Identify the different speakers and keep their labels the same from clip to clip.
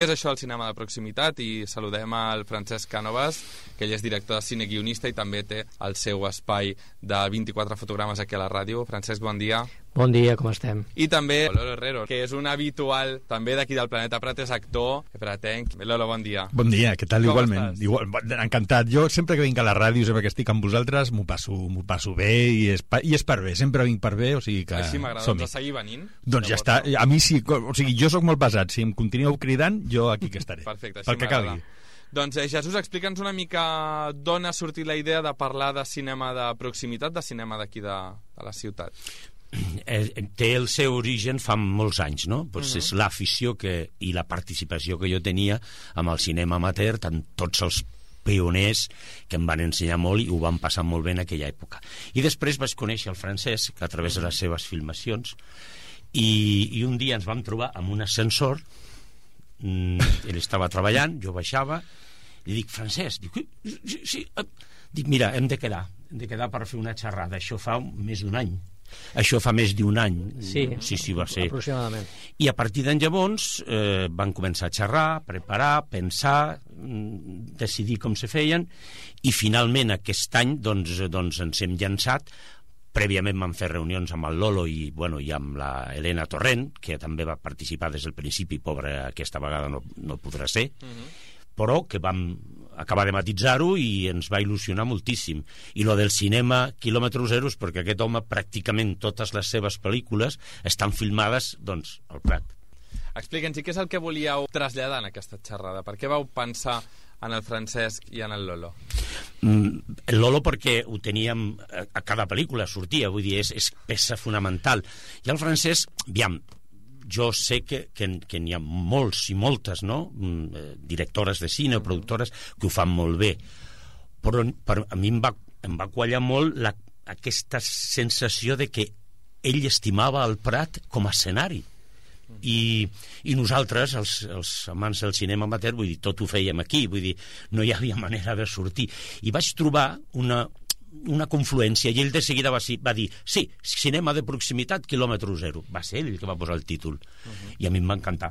Speaker 1: És això el cinema de proximitat i saludem al Francesc Cànovas, que ell és director de cine guionista i també té el seu espai de 24 fotogrames aquí a la ràdio. Francesc, bon dia.
Speaker 2: Bon dia, com estem?
Speaker 1: I també Lolo Herrero, que és un habitual també d'aquí del Planeta Prat, és actor pratenc. Lolo, bon dia.
Speaker 3: Bon dia, què tal?
Speaker 1: Com
Speaker 3: Igualment.
Speaker 1: estàs?
Speaker 3: Encantat. Jo sempre que vinc a la ràdio, sempre que estic amb vosaltres, m'ho passo bé i és per bé. Sempre vinc per bé, o sigui que...
Speaker 1: Així m'agrada,
Speaker 3: som-hi.
Speaker 1: doncs a seguir venint.
Speaker 3: Doncs ja està. A mi sí, o sigui, jo sóc molt pesat. Si em continueu cridant, jo aquí que estaré.
Speaker 1: Perfecte, així
Speaker 3: pel que
Speaker 1: m'agrada.
Speaker 3: calgui.
Speaker 1: Doncs Jesús, explica'ns una mica d'on ha sortit la idea de parlar de cinema de proximitat, de cinema d'aquí de la ciutat.
Speaker 4: Té el seu origen fa molts anys, no? Pues és l'afició i la participació que jo tenia amb el cinema amateur, tant tots els pioners que em van ensenyar molt i ho van passar molt bé en aquella època. I després vaig conèixer el Francesc a través de les seves filmacions i un dia ens vam trobar amb un ascensor. Ell estava treballant, jo baixava i dic, Francesc, sí, dic, mira, hem de quedar per fer una xerrada. Això fa més d'un any. Això fa més d'un any.
Speaker 2: Sí,
Speaker 4: va ser.
Speaker 2: Aproximadament.
Speaker 4: I a partir d'en llavors van començar a xerrar, preparar, pensar, decidir com se feien, i finalment aquest any doncs ens hem llançat. Prèviament vam fer reunions amb el Lolo i amb la Helena Torrent, que també va participar des del principi, pobra, aquesta vegada no podrà ser, però que vam acabar de matitzar-ho i ens va il·lusionar moltíssim. I lo del cinema quilòmetre zero és perquè aquest home pràcticament totes les seves pel·lícules estan filmades al Prat.
Speaker 1: Explica'ns, què és el que volíeu traslladar en aquesta xerrada? Per què vau pensar en el Francesc i en el Lolo?
Speaker 4: El Lolo perquè ho teníem a cada pel·lícula, sortia, vull dir, és peça fonamental. I el Francesc, jo sé que n'hi ha molts i moltes, no? Directores de cine o productores que ho fan molt bé, però a mi em va quallar molt aquesta sensació de que ell estimava el Prat com a escenari i nosaltres, els amants del cinema amateur, vull dir, tot ho fèiem aquí, vull dir, no hi havia manera de sortir, i vaig trobar una confluència, i ell de seguida va dir, sí, cinema de proximitat quilòmetre zero. Va ser ell el que va posar el títol, i a mi em va encantar.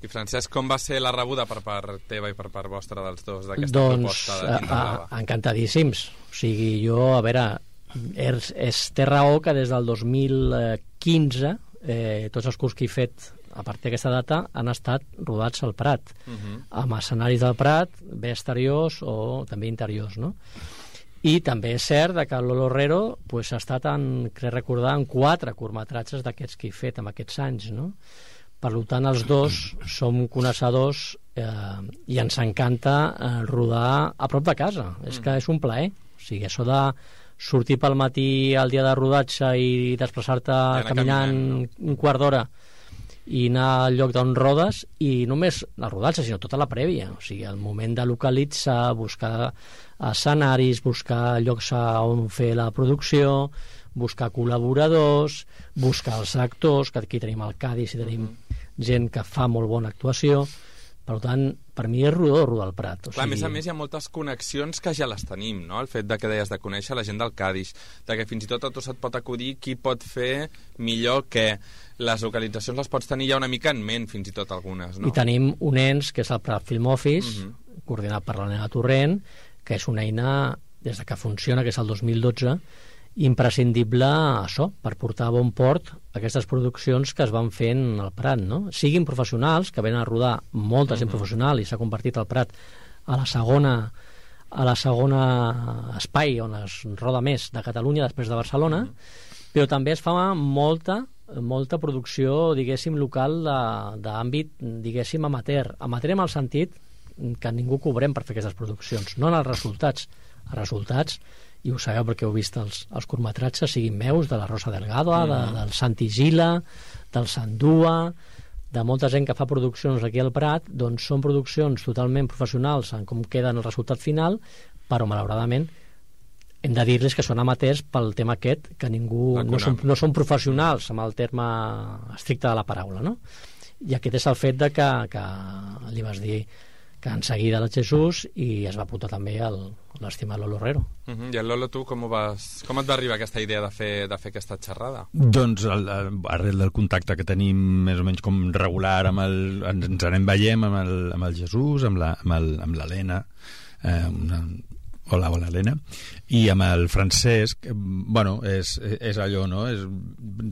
Speaker 1: I Francesc, com va ser la rebuda per part teva i per part vostra dels dos d'aquesta proposta de Tinta Blava?
Speaker 2: Encantadíssims. O sigui, jo, a veure, és té raó que des del 2015 tots els cursos que he fet a partir d'aquesta data han estat rodats al Prat, amb escenaris del Prat, bé exteriors o també interiors, no? I també és cert que el Lolo Herrero ha estat, crec recordar, en 4 curtmetratges d'aquests que he fet en aquests anys, no? Per tant, els dos som coneixedors i ens encanta rodar a prop de casa. És que és un plaer. O sigui, això de sortir pel matí al dia de rodatge i desplaçar-te caminant un quart d'hora i anar al lloc d'on rodes, i no només la rodatge, sinó tota la prèvia. O sigui, el moment de localitzar, buscar escenaris, buscar llocs on fer la producció, buscar col·laboradors, buscar els actors, que aquí tenim el Cádiz i tenim gent que fa molt bona actuació. Per tant, per mi és rodar el Prat.
Speaker 1: Clar, a més hi ha moltes connexions que ja les tenim, no? El fet que deies de conèixer la gent del Cádiz, de que fins i tot a tu se't pot acudir qui pot fer millor que les localitzacions les pots tenir ja una mica en ment, fins i tot algunes, no?
Speaker 2: I tenim un ens, que és el Prat Film Office, coordinat per l'Helena Torrent, que és una eina, des que funciona, que és el 2012, imprescindible això, per portar a bon port aquestes produccions que es van fent al Prat, no? Siguin professionals, que venen a rodar molta gent professional, i s'ha convertit el Prat a la segona espai on es roda més de Catalunya després de Barcelona, però també es fa molta producció, diguéssim, local d'àmbit, diguéssim, amateur en el sentit que ningú cobrem per fer aquestes produccions, no en els resultats, i ho sabeu perquè heu vist els curtmetratges, siguin meus, de la Rosa Delgado, del Santi Gila, del Sandua, de molta gent que fa produccions aquí al Prat, doncs són produccions totalment professionals en com queda el resultat final, però malauradament hem de dir-les que són amateurs pel tema aquest, que ningú no són professionals amb el terme estricte de la paraula, no? I aquest és el fet de que li vas dir que en seguida el Jesús, i es va apuntar també l'estimat Lolo Herrero.
Speaker 1: I el Lolo, tu com et va arribar aquesta idea de fer aquesta xerrada?
Speaker 3: Doncs arrel del contacte que tenim més o menys com regular ens anem veiem amb el Jesús, amb l'Helena, hola Helena, i amb el Francesc, bueno, és allò, no? És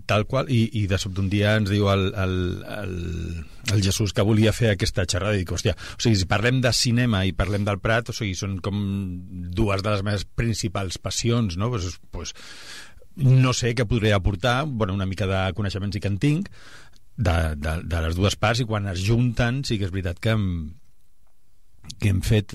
Speaker 3: tal qual, i de sobte un dia ens diu el Jesús que volia fer aquesta xerrada, i dic, hòstia, o sigui, si parlem de cinema i parlem del Prat, o sigui, són com dues de les meves principals passions, no? Pues, no sé què podré aportar, bueno, una mica de coneixements sí que en tinc, de les dues parts, i quan es junten sí que és veritat que hem fet,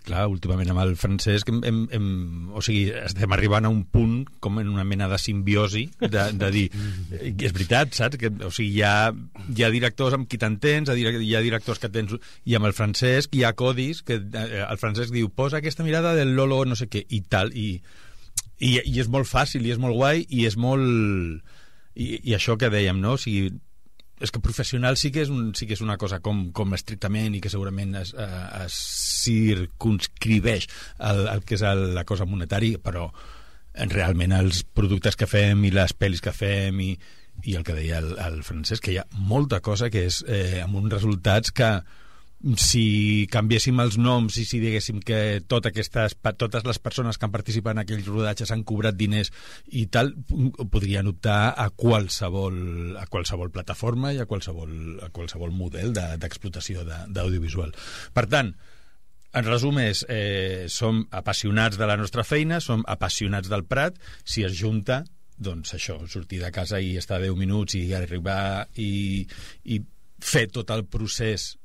Speaker 3: clar, últimament amb el Francesc o sigui, estem arribant a un punt com en una mena de simbiosi de dir, és veritat, saps? O sigui, hi ha directors amb qui t'entens, hi ha directors que tens, i amb el Francesc hi ha codis que el Francesc diu, posa aquesta mirada del Lolo no sé què, i tal, i és molt fàcil, i és molt guai, i és molt... I això que dèiem, no? O sigui, és que professional sí que és una cosa com estrictament, i que segurament es circunscriveix al que és la cosa monetària, però realment els productes que fem i les pel·lis que fem i el que deia el Francesc, que hi ha molta cosa que és amb uns resultats que si canviéssim els noms i si diguéssim que totes les persones que han participat en aquells rodatges han cobrat diners i tal, podrien optar a qualsevol plataforma i a qualsevol model d'explotació d'audiovisual. Per tant, en resum és, som apassionats de la nostra feina, som apassionats del Prat, si es junta, doncs això, sortir de casa i estar 10 minuts i arribar i fer tot el procés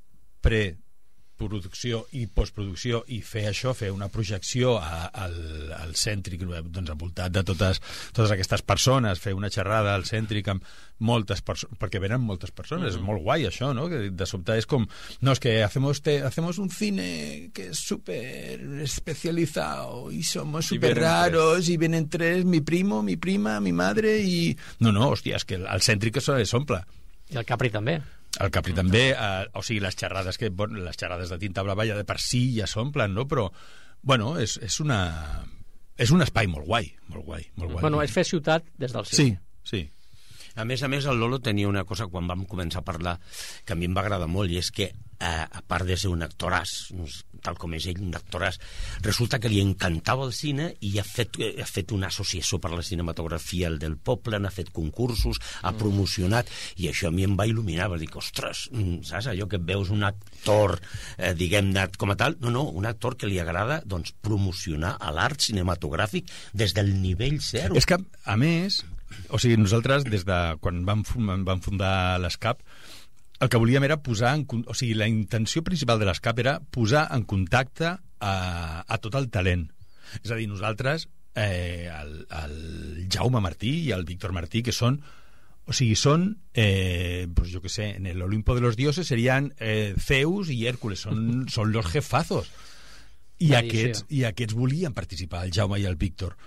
Speaker 3: preproducció i postproducció, i fer això, fer una projecció al Cèntric, doncs envoltat de totes aquestes persones, fer una xerrada al Cèntric amb moltes persones, perquè venen moltes persones, és molt guai això, no? Que de sobte és com, no, es que hacemos un cine que es súper especializado y somos súper raros y vienen tres, mi primo, mi prima, mi madre y... No, hòstia, és que el Cèntric s'omple.
Speaker 2: I el Capri també.
Speaker 3: El Capri també, o sigui, les xerrades de Tinta Blava ja de per si ja s'omplen, no? Però, bueno, és un espai molt guai, molt guai.
Speaker 2: Bueno, és fer ciutat des del cine.
Speaker 3: Sí.
Speaker 4: A més, el Lolo tenia una cosa quan vam començar a parlar que a mi em va agradar molt, i és que, a part de ser un actoràs, tal com és ell, un actoràs, resulta que li encantava el cine i ha fet una associació per la cinematografia del poble, n'ha fet concursos, ha promocionat, i això a mi em va il·luminar, va dir, ostres, saps allò que veus un actor, diguem-ne, com a tal, no, un actor que li agrada, doncs, promocionar l'art cinematogràfic des del nivell zero.
Speaker 3: És que, a més, o sigui, nosaltres, des de quan vam fundar l'ESCAP, el que volíem era o sigui, la intenció principal de l'ESCAP era posar en contacte a tot el talent. És a dir, nosaltres, el Jaume Martí i el Víctor Martí, que són, o sigui, pues jo què sé, en el Olimpo de los dioses serían Zeus i Hércules, són los jefazos. I aquests volien participar, el Jaume i el Víctor.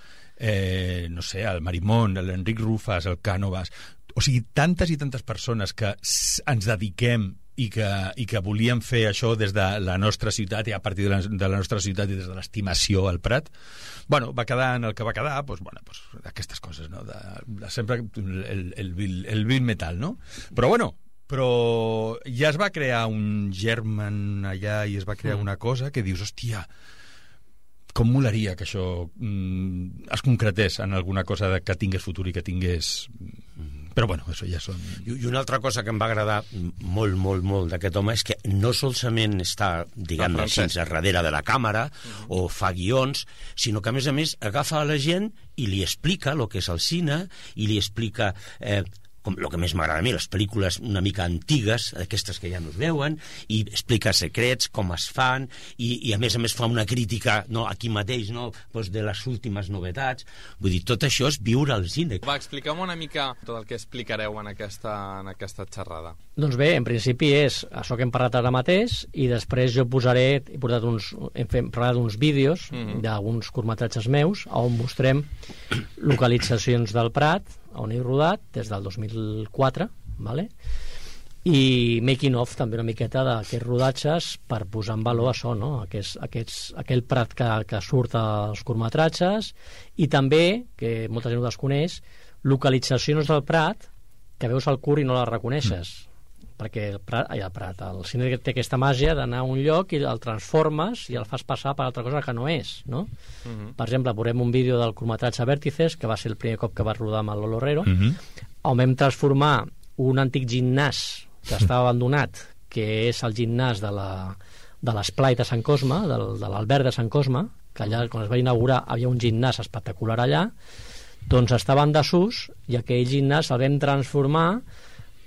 Speaker 3: No sé, el Marimón, l'Enric Rufas, el Cànovas, o sigui, tantes i tantes persones que ens dediquem i que volien fer això des de la nostra ciutat, i a partir de la nostra ciutat i des de l'estimació al Prat, bueno, va quedar en el que va quedar, pues aquestes coses, no? Sempre el vil metal, no? Però ja es va crear un germen allà i es va crear una cosa que dius, hòstia, com molaria que això es concretés en alguna cosa que tingués futur i que tingués... Però bueno, això ja són...
Speaker 4: I una altra cosa que em va agradar molt, molt, molt d'aquest home és que no solament està, diguem-ne així, darrere de la càmera o fa guions, sinó que a més agafa a la gent i li explica el que és el cine i li explica... com el que més m'agrada a mi, les pel·lícules una mica antigues, aquestes que ja no es veuen, i explica secrets, com es fan, i a més fa una crítica, no, aquí mateix, no, doncs de les últimes novetats. Vull dir, tot això és viure al cine.
Speaker 1: Va, expliquem una mica tot el que explicareu en aquesta xerrada.
Speaker 2: Doncs bé, en principi és això que hem parlat ara mateix, i després jo hem parlat uns vídeos d'alguns curtmetratges meus on mostrem localitzacions del Prat on he rodat des del 2004, vale? i making of també una miqueta d'aquests rodatges per posar en valor això, no? Aquell prat que surt als curtmetratges, i també, que molta gent ho desconeix, localitzacions del prat que veus al curt i no les reconeixes, perquè el cine té aquesta màgia d'anar a un lloc i el transformes i el fas passar per altra cosa que no és, no? Per exemple, veurem un vídeo del curtmetratge Vèrtices, que va ser el primer cop que va rodar amb el Lolo Herrero, on vam transformar un antic gimnàs que estava abandonat, que és el gimnàs de l'esplai de Sant Cosme, de l'Alberg de Sant Cosme, que allà, quan es va inaugurar, havia un gimnàs espectacular allà, doncs estava en desús, i aquell gimnàs el vam transformar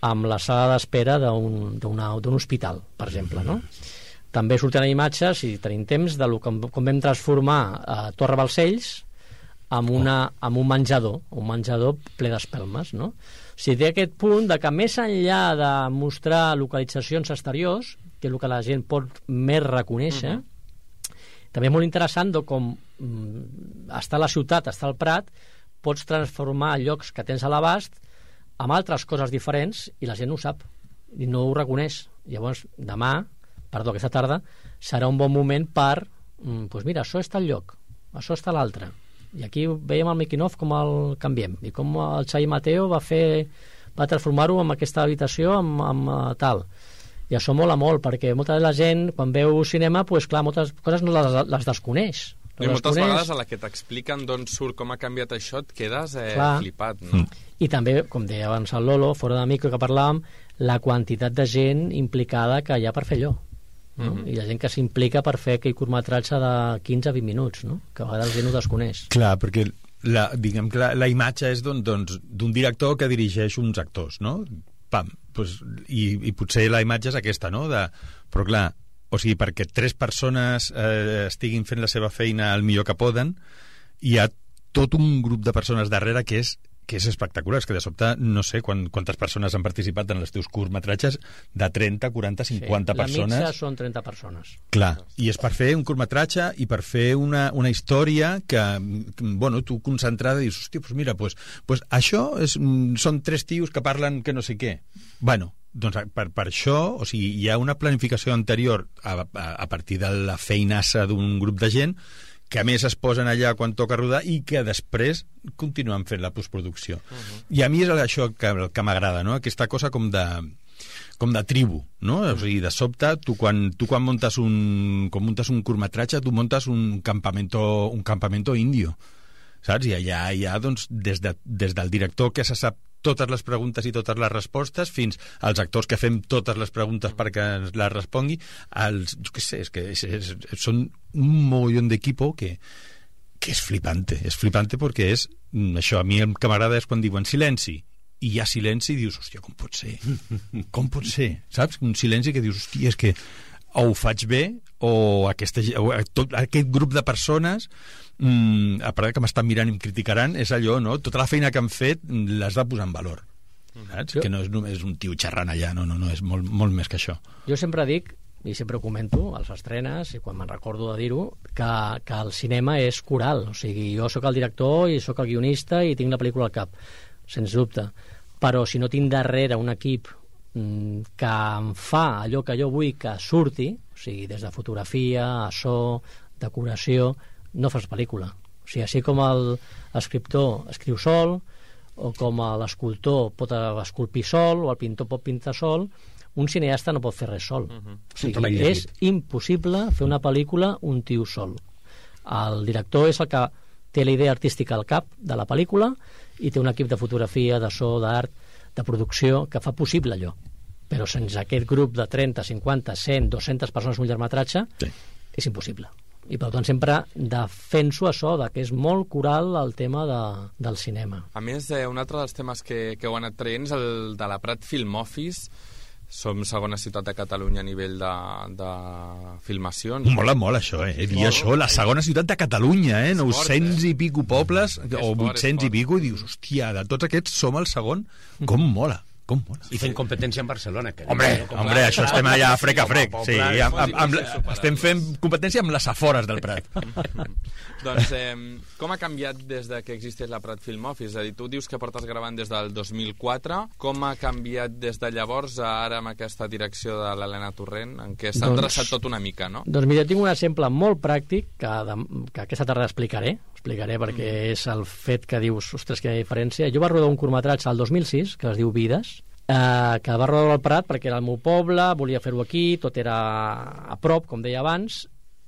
Speaker 2: amb la sala d'espera d'un hospital, per exemple, no? També surten imatges, si tenim temps, de com vam transformar Torre Balcells amb un menjador ple d'espelmes, no? O sigui, té aquest punt de que més enllà de mostrar localitzacions exteriors, que és el que la gent pot més reconèixer, també és molt interessant de com està a la ciutat, està al Prat, pots transformar llocs que tens a l'abast amb altres coses diferents i la gent ho sap i no ho reconeix. Llavors, aquesta tarda, serà un bon moment per doncs mira, això està al lloc, això està a l'altre. I aquí veiem el making of com el canviem i com el Xavi Mateo va transformar-ho en aquesta habitació amb tal. I això mola molt, perquè molta de la gent, quan veu cinema, doncs clar, moltes coses no les desconeix.
Speaker 1: I moltes vegades a la que t'expliquen d'on surt, com ha canviat això, et quedes flipat, no?
Speaker 2: I també, com deia abans el Lolo, fora de micro que parlàvem, la quantitat de gent implicada que hi ha per fer allò. No? I la gent que s'implica per fer aquell curtmetratge de 15 a 20 minuts, no? Que a vegades la gent ho desconeix.
Speaker 3: Clar, perquè diguem que la imatge és d'un director que dirigeix uns actors, no? Pam, doncs, i potser la imatge és aquesta, no? Però clar, o sigui, perquè 3 persones estiguin fent la seva feina el millor que poden, hi ha tot un grup de persones darrere que és espectacular, és que de sobte no sé quantes persones han participat en els teus curtmetratges, de 30, 40, 50 persones.
Speaker 2: La mitja són 30 persones.
Speaker 3: Clar, i és per fer un curtmetratge i per fer una història que, bueno, tu concentrada dius, hòstia, doncs mira, pues això són 3 tios que parlen que no sé què. Bueno, doncs per això, o sigui, hi ha una planificació anterior a partir de la feinassa d'un grup de gent que a més es posen allà quan toca rodar i que després continuen fent la postproducció. I a mi és això que m'agrada, no? Aquesta cosa com de tribu, no? O sigui, de sobte, tu quan muntes un curtmetratge, tu muntes un campamento indio, saps? I allà hi ha, doncs, des del director que se sap totes les preguntes i totes les respostes, fins als actors que fem totes les preguntes perquè ens les respongui, jo què sé, és que són un mogollón d'equipo que és flipante perquè és això, a mi el que m'agrada és quan diuen silenci, i hi ha silenci i dius, hòstia, com pot ser, saps? Un silenci que dius, hòstia, és que o ho faig bé o aquest grup de persones a part que m'estan mirant i em criticaran, és allò, no? Tota la feina que han fet l'has de posar en valor, saps? Que no és només un tio xerrant allà, no, és molt, molt més que això.
Speaker 2: Jo sempre dic, i sempre ho comento als estrenes i quan me'n recordo de dir-ho, que el cinema és coral, o sigui, jo sóc el director i sóc el guionista i tinc la pel·lícula al cap, sens dubte, però si no tinc darrere un equip que em fa allò que jo vull que surti, o sigui, des de fotografia a so, decoració, no fas pel·lícula. O sigui, així com l'escriptor escriu sol, o com l'escultor pot esculpir sol, o el pintor pot pintar sol, un cineasta no pot fer res sol. O sigui, és impossible fer una pel·lícula un tio sol. El director és el que té la idea artística al cap de la pel·lícula i té un equip de fotografia, de so, d'art, de producció, que fa possible allò. Però sense aquest grup de 30, 50, 100, 200 persones un llargmetratge, és impossible. I per tant sempre defenso això, que és molt coral el tema del cinema.
Speaker 1: A més, un altre dels temes que heu anat traient és el de la Prat Film Office. Som segona ciutat de Catalunya a nivell de filmacions.
Speaker 3: Mola molt això, dir això, la segona ciutat de Catalunya, 900 i pico pobles, o 800 i pico, i dius, hòstia, de tots aquests som el segon, com mola. Com mola?
Speaker 4: I fent competència en Barcelona. Que
Speaker 3: Hombre, això estem allà frec a frec. Sí, estem fent competència amb les afores del Prat.
Speaker 1: Doncs com ha canviat des de que existeix la Prat Film Office? És a dir, tu dius que portes gravant des del 2004. Com ha canviat des de llavors a ara amb aquesta direcció de l'Helena Torrent, en què s'ha endreçat tot una mica, no?
Speaker 2: Doncs mira, tinc un exemple molt pràctic que aquesta tarda explicaré perquè és el fet que dius, ostres, quina diferència. Jo vaig rodar un curtmetratge al 2006 que es diu Vides, que va rodar al Prat perquè era el meu poble, volia fer-ho aquí, tot era a prop, com deia abans,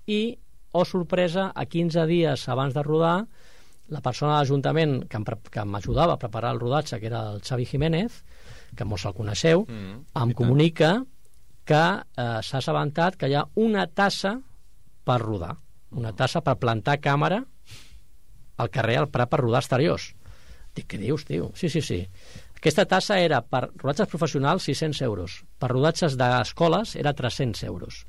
Speaker 2: i oh sorpresa, a 15 dies abans de rodar, la persona de l'Ajuntament que m'ajudava a preparar el rodatge, que era el Xavi Jiménez, que molts el coneixeu, em comunica que s'ha assabentat que hi ha una tassa per rodar, una tassa per plantar càmera al carrer al Prat per rodar exteriors. Dic, què dius, tio? Sí. Aquesta tassa era per rodatges professionals 600 euros, per rodatges d'escoles era 300 euros.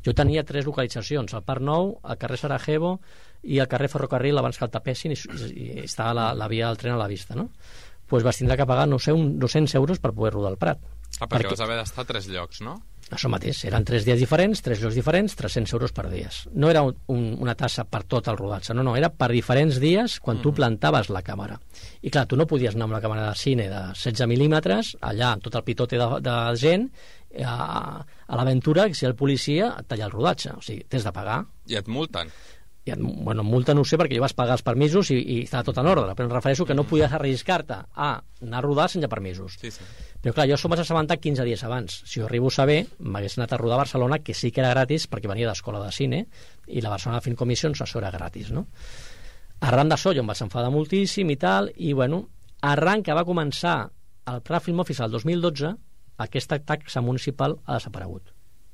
Speaker 2: Jo tenia 3 localitzacions, al Parc Nou, al carrer Sarajevo i al carrer Ferrocarril abans que el tapessin i estava la via del tren a la vista, no? Doncs vas tindre que pagar, no sé, 200 euros per poder rodar al Prat.
Speaker 1: Perquè vas haver d'estar a 3 llocs, no?
Speaker 2: Això mateix, eren 3 dies diferents, 3 llocs diferents, 300 euros per dies. No era una tassa per tot el rodatge, no, era per diferents dies quan tu plantaves la càmera. I clar, tu no podies anar amb la càmera de cine de 16 mil·límetres, allà amb tot el pitote de gent, a l'aventura, si el policia et talla el rodatge. O sigui, tens de pagar.
Speaker 1: I et multen.
Speaker 2: Bueno, multa no ho sé perquè jo vas pagar els permisos i estava tot en ordre, però em refereixo que no podies arriscar-te a anar a rodar sense permisos.
Speaker 1: Sí.
Speaker 2: Però clar, jo això m'has assabentat 15 dies abans. Si ho arribo a saber, m'hagués anat a rodar a Barcelona, que sí que era gratis perquè venia d'escola de cine i la Barcelona Film Commissions això era gratis, no? Arran d'això jo em vaig enfadar moltíssim i tal, i bueno, arran que va començar el Prat Film Office el 2012, aquesta taxa municipal ha desaparegut.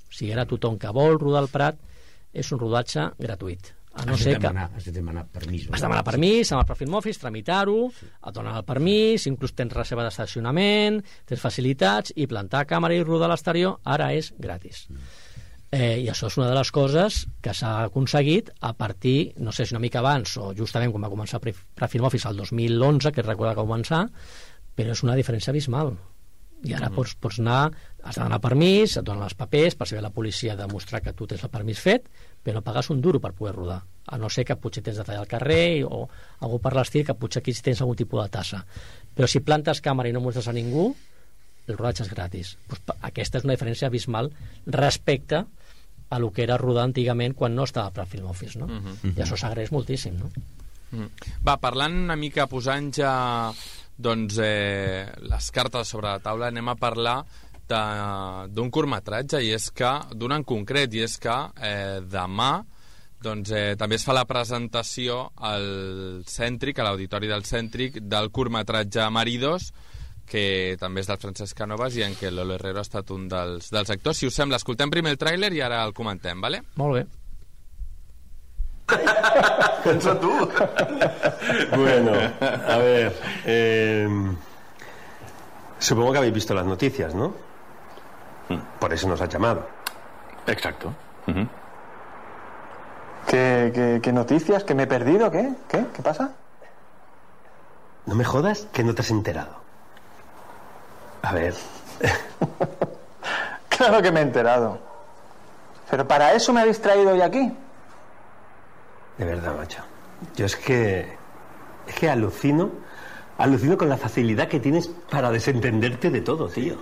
Speaker 2: O sigui, ara tothom que vol rodar al Prat és un rodatge gratuït. A no ser que...
Speaker 4: Has de demanar permís.
Speaker 2: Has de demanar permís amb el Prat Film Office, tramitar-ho, et donen el permís, inclús tens reserva d'estacionament, tens facilitats, i plantar càmera i rodar a l'exterior ara és gratis. I això és una de les coses que s'ha aconseguit a partir, no sé si una mica abans o justament quan va començar el Prat Film Office el 2011, que recorda que va començar, però és una diferència abismal. I ara pots anar, has de demanar permís, et donen els papers per saber la policia demostrar que tu tens el permís fet, però no pagues un duro per poder rodar, a no ser que potser tens de tallar al carrer o algú per l'estil, que potser aquí tens algun tipus de tassa. Però si plantes càmera i no mostres a ningú, el rodatge és gratis. Pues aquesta és una diferència abismal respecte a lo que era rodar antigament quan no estava per Film Office, no? I això s'agraeix moltíssim, no?
Speaker 1: Va, parlant una mica, posant ja doncs les cartes sobre la taula, anem a parlar d'un curtmetratge, i és que, d'un en concret, i és que demà doncs, també es fa la presentació al Cèntric, a l'Auditori del Cèntric, del curtmetratge Maridos, que també és del Francesc Canovas i en què Lolo Herrero ha estat un dels actors. Si us sembla, escoltem primer el tràiler i ara el comentem, ¿vale?
Speaker 2: Molt bé.
Speaker 5: Eso tú. Bueno, a ver. Supongo que habéis visto las noticias, ¿no? Por eso nos has llamado.
Speaker 6: Exacto.
Speaker 7: ¿Qué noticias? ¿Que me he perdido? ¿Qué? ¿Qué pasa?
Speaker 5: No me jodas que no te has enterado. A ver.
Speaker 7: Claro que me he enterado. Pero para eso me habéis traído hoy aquí.
Speaker 5: De verdad, macho. Yo es que alucino con la facilidad que tienes para desentenderte de todo, tío.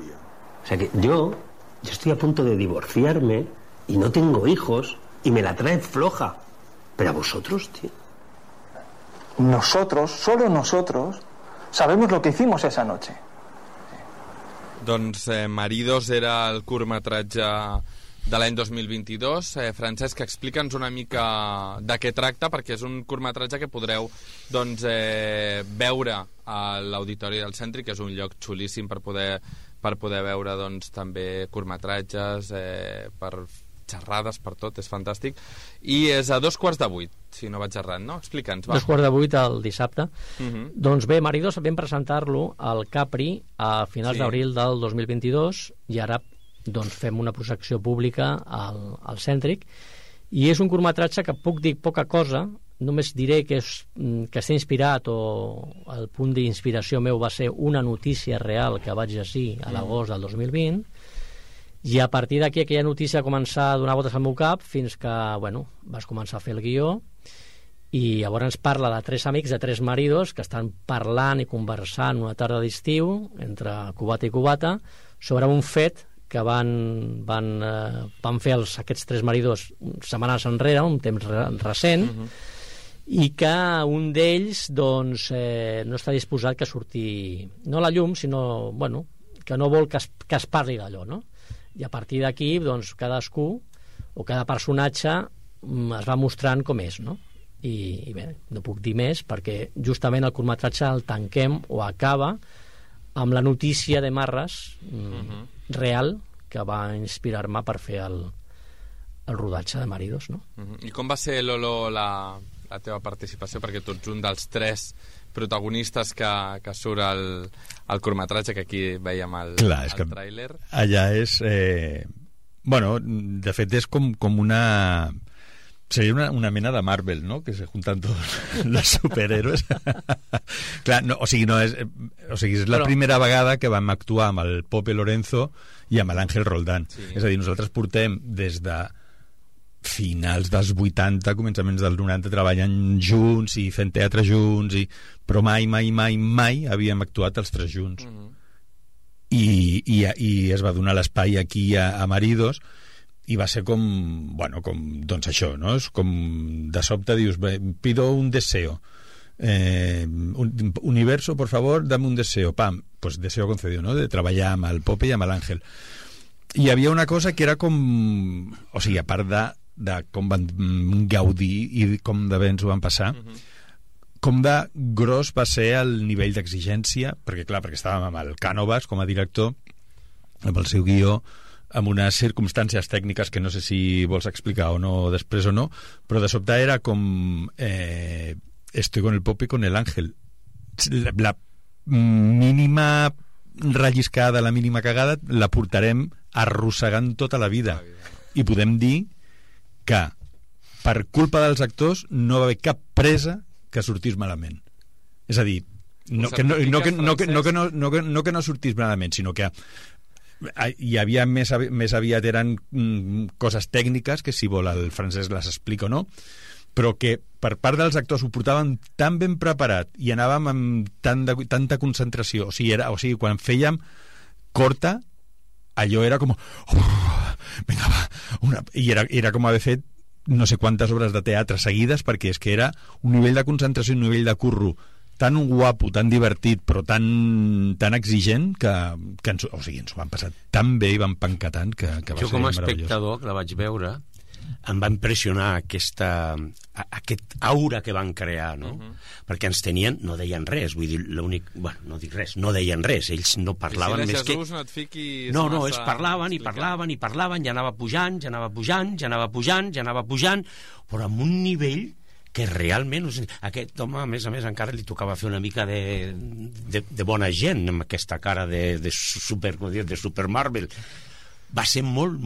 Speaker 5: O sea que yo estoy a punto de divorciarme y no tengo hijos y me la traen floja. Pero a vosotros, tío.
Speaker 7: Nosotros, solo nosotros, sabemos lo que hicimos esa noche.
Speaker 1: Doncs Maridos era el curtmetratge de l'any 2022. Francesc, explica'ns una mica de què tracta, perquè és un curtmetratge que podreu doncs, veure a l'Auditori del Cèntric, que és un lloc xulíssim per poder veure doncs, també curtmetratges, per xerrades, per tot, és fantàstic. I és a 7:15, si no vaig errat, no? Explica'ns, va.
Speaker 2: 7:15 el dissabte. Doncs bé, Maridos vam presentar-lo al Capri a finals d'abril del 2022 i ara doncs fem una projecció pública al Cèntric, i és un curtmetratge que puc dir poca cosa només diré que està inspirat, o el punt d'inspiració meu va ser una notícia real que vaig llegir a l'agost del 2020, i a partir d'aquí aquella notícia va començar a donar voltes al meu cap fins que, vas començar a fer el guió, i llavors ens parla de 3 amics, de 3 maridos, que estan parlant i conversant una tarda d'estiu, entre cubata i cubata, sobre un fet que van fer aquests 3 maridos setmanes enrere, un temps recent, i que un d'ells no està disposat que surti, no a la llum, sinó que no vol que es parli d'allò, no? I a partir d'aquí cadascú o cada personatge es va mostrant com és, no? I bé, no puc dir més perquè justament el curtmetratge el tanquem o acaba amb la notícia de Marras real que va inspirar-me per fer el rodatge de Maridos, no?
Speaker 1: I com va ser, Lolo, la teva participació? Perquè tu ets un dels 3 protagonistes que surt al curtmetratge, que aquí veiem el tràiler.
Speaker 3: Allà és... de fet és com una... Seria una mena de Marvel, ¿no? Que se juntan todos los superhéroes. Clar, és la primera vegada que vam actuar amb el Pope Lorenzo i amb l'Àngel Roldán. Sí. És a dir, nosaltres portem des de finals dels 80, començaments dels 90, treballant junts i fent teatre junts, però mai havíem actuat els 3 junts. I es va donar l'espai aquí a Maridos, i va ser com doncs això, no? És com de sobte dius, pido un deseo, universo, por favor, dame un deseo, pam, pues deseo concedido, no? De treballar amb el Pope i amb l'Àngel. I hi havia una cosa que era com, o sigui, a part de com van gaudir i com de bé ens ho van passar, com de gros va ser el nivell d'exigència, perquè estàvem amb el Cànovas com a director, amb el seu guió, amb unes circumstàncies tècniques que no sé si vols explicar o no després o no, però de sobte era com estoy con el Pope y con el Ángel, la mínima relliscada, la mínima cagada la portarem arrossegant tota la vida, i podem dir que per culpa dels actors no va haver cap presa que sortís malament. És a dir, no que no sortís malament, sinó que hi havia més aviat eren coses tècniques que si vol el Francesc les explica o no, però que per part dels actors ho portàvem tan ben preparat i anàvem amb tanta concentració, o sigui, quan fèiem corta, allò era com vinga va, i era com haver fet no sé quantes obres de teatre seguides, perquè és que era un nivell de concentració i un nivell de curro tan guapo, tan divertit, però tan exigent que ens ho vam passar tan bé i vam pencar tant que va ser meravellós.
Speaker 4: Jo com a espectador, que la vaig veure, em va impressionar aquest aura que van crear, no? Perquè ens tenien, no deien res, vull dir, l'únic... Bueno, no dic res, no deien res, ells no parlaven més que...
Speaker 1: No et fiquis
Speaker 4: no, ells parlaven, i anava pujant, però amb un nivell que realment aquest home, a més, encara li tocava fer una mica de bona gent amb aquesta cara de Super Marvel. Va ser molt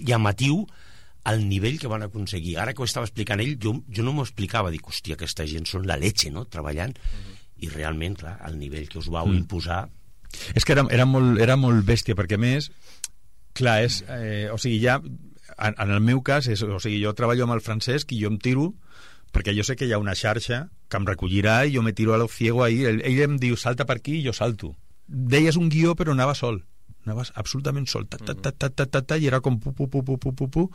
Speaker 4: llamatiu el nivell que van aconseguir. Ara que ho estava explicant ell, jo no m'ho explicava, dic, hòstia, aquesta gent són la leche, no?, treballant, i realment, clar, el nivell que us vau imposar...
Speaker 3: És que era molt bèstia, perquè a més, clar, o sigui, ja... En el meu cas, jo treballo amb el Francesc i jo em tiro, perquè jo sé que hi ha una xarxa que em recollirà i jo me tiro a lo ciego ahí. Ell em diu, salta per aquí i jo salto. Deies un guió però anava sol. Anaves absolutament sol. I era com pu.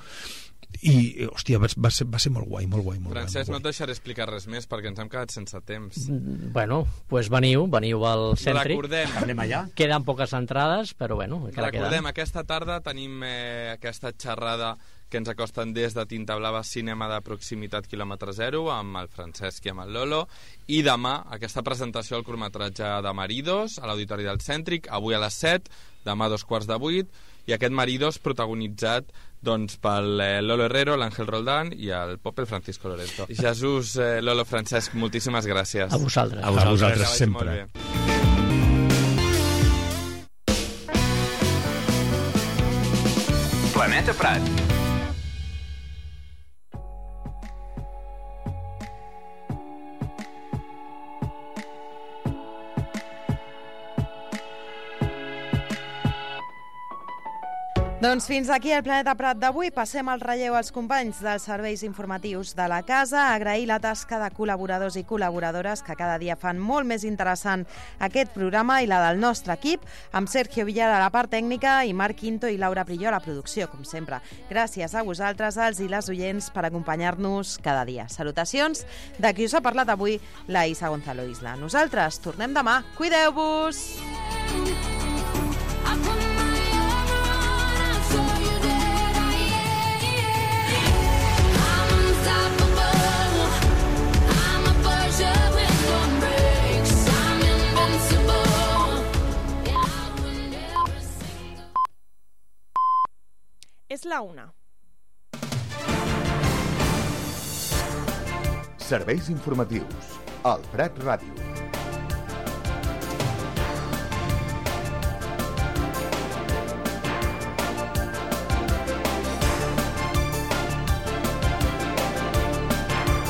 Speaker 3: I, hòstia, va ser molt guai, molt guai.
Speaker 1: Francesc, no et deixaré explicar res més perquè ens hem quedat sense temps.
Speaker 2: Bueno, doncs veniu al Cèntric.
Speaker 1: Recordem.
Speaker 4: Anem allà.
Speaker 2: Queden poques entrades, però bueno,
Speaker 1: recordem, aquesta tarda tenim aquesta xerrada que ens acosten des de Tinta Blava, cinema de proximitat quilòmetre zero, amb el Francesc i amb el Lolo, i demà aquesta presentació al curtmetratge de Maridos a l'Auditori del Cèntric, avui a les 7, demà a 7:15, i aquest Maridos protagonitzat doncs pel Lolo Herrero, l'Àngel Roldán i el Pope, el Francisco Lorenzo. Jesús, Lolo, Francesc, moltíssimes gràcies.
Speaker 2: A vosaltres.
Speaker 3: A vosaltres sempre.
Speaker 6: Planeta Prat. Doncs fins aquí el Planeta Prat d'avui. Passem el relleu als companys dels serveis informatius de la casa. Agrair la tasca de col·laboradors i col·laboradores que cada dia fan molt més interessant aquest programa i la del nostre equip, amb Sergio Villar a la part tècnica i Marc Quinto i Laura Prilló a la producció, com sempre. Gràcies a vosaltres, els i les oients, per acompanyar-nos cada dia. Salutacions de qui us ha parlat avui, la Isa Gonzalo Isla. Nosaltres tornem demà. Cuideu-vos! És la 1.
Speaker 8: Serveis informatius al Prat Ràdio.